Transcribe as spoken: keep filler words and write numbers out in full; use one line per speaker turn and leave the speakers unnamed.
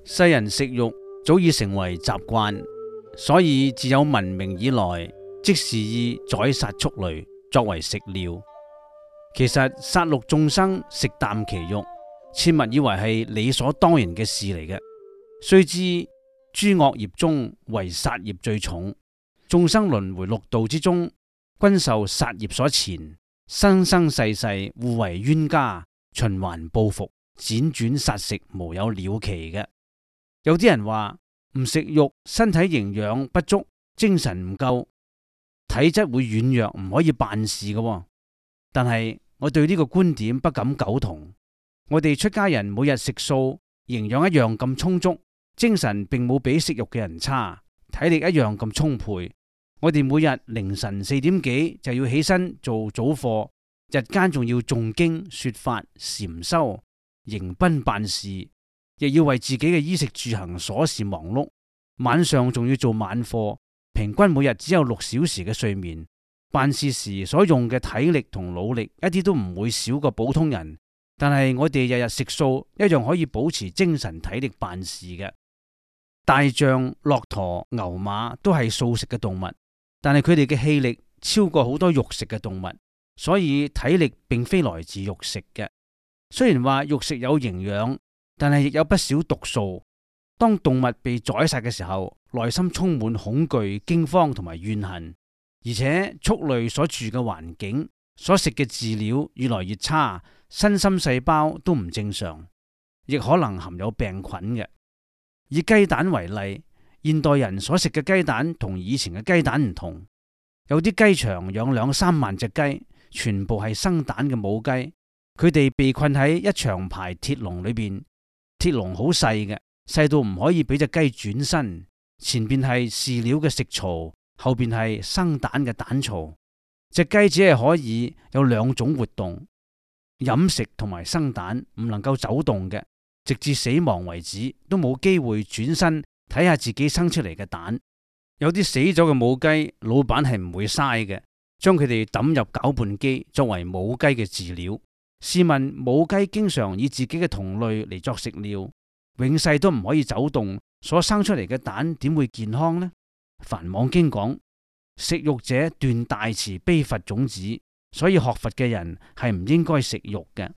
世人食肉早已成為習慣，所以自有文明以來，即是以宰殺畜類作為食料。其實殺戮眾生，食啖其肉，切勿以為係理所當然嘅事嚟嘅。須知諸惡業中，唯殺業最重。眾生輪迴六道之中，均受殺業所纏，生生世世互為冤家，循環報復，輾轉殺食，無有了期嘅。有啲人話唔食肉，身體營養不足，精神唔夠，體質會軟弱，唔可以辦事嘅。但係我對呢個觀點不敢苟同。我哋出家人每日食素，營養一樣咁充足，精神並冇比食肉嘅人差，體力一樣咁充沛。我哋每日凌晨四點幾就要起身做早課，日間仲要誦經說法、禪修、迎賓辦事，亦要為自己嘅衣食住行瑣事忙碌。晚上仲要做晚課，平均每日只有六小時嘅睡眠。辦事時所用嘅體力同腦力一啲都唔會少過普通人，但係我哋日日食素，一樣可以保持精神體力辦事嘅。大象、駱駝、牛馬都係素食嘅動物，但係佢哋嘅氣力超過好多肉食嘅動物，所以體力並非來自肉食嘅。雖然話肉食有營養，但係亦有不少毒素。當動物被宰殺嘅時候，內心充滿恐懼、驚慌同埋怨恨。而且畜類所住嘅環境、所食嘅飼料越來越差，身心細胞都唔正常，亦可能含有病菌嘅。以雞蛋為例，現代人所食嘅雞蛋同以前嘅雞蛋唔同。有啲雞場養兩三萬隻雞，全部係生蛋嘅母雞，佢哋被困喺一長排鐵籠裏邊，鐵籠好細嘅，細到唔可以俾隻雞轉身，前邊係飼料嘅食槽，後邊係生蛋嘅蛋槽。隻雞只係可以有兩種活動，飲食同埋生蛋，唔能夠走動嘅，直至死亡為止都冇機會轉身睇下自己生出嚟嘅蛋。有啲死咗嘅母雞，老闆係唔會嘥嘅，將佢哋抌入攪拌機作為母雞嘅飼料。試問母雞經常以自己嘅同類嚟作食料，永世都唔可以走動，所生出嚟嘅蛋點會健康呢？梵網經講，食肉者斷大慈悲佛種子，所以學佛嘅人係唔應該食肉嘅。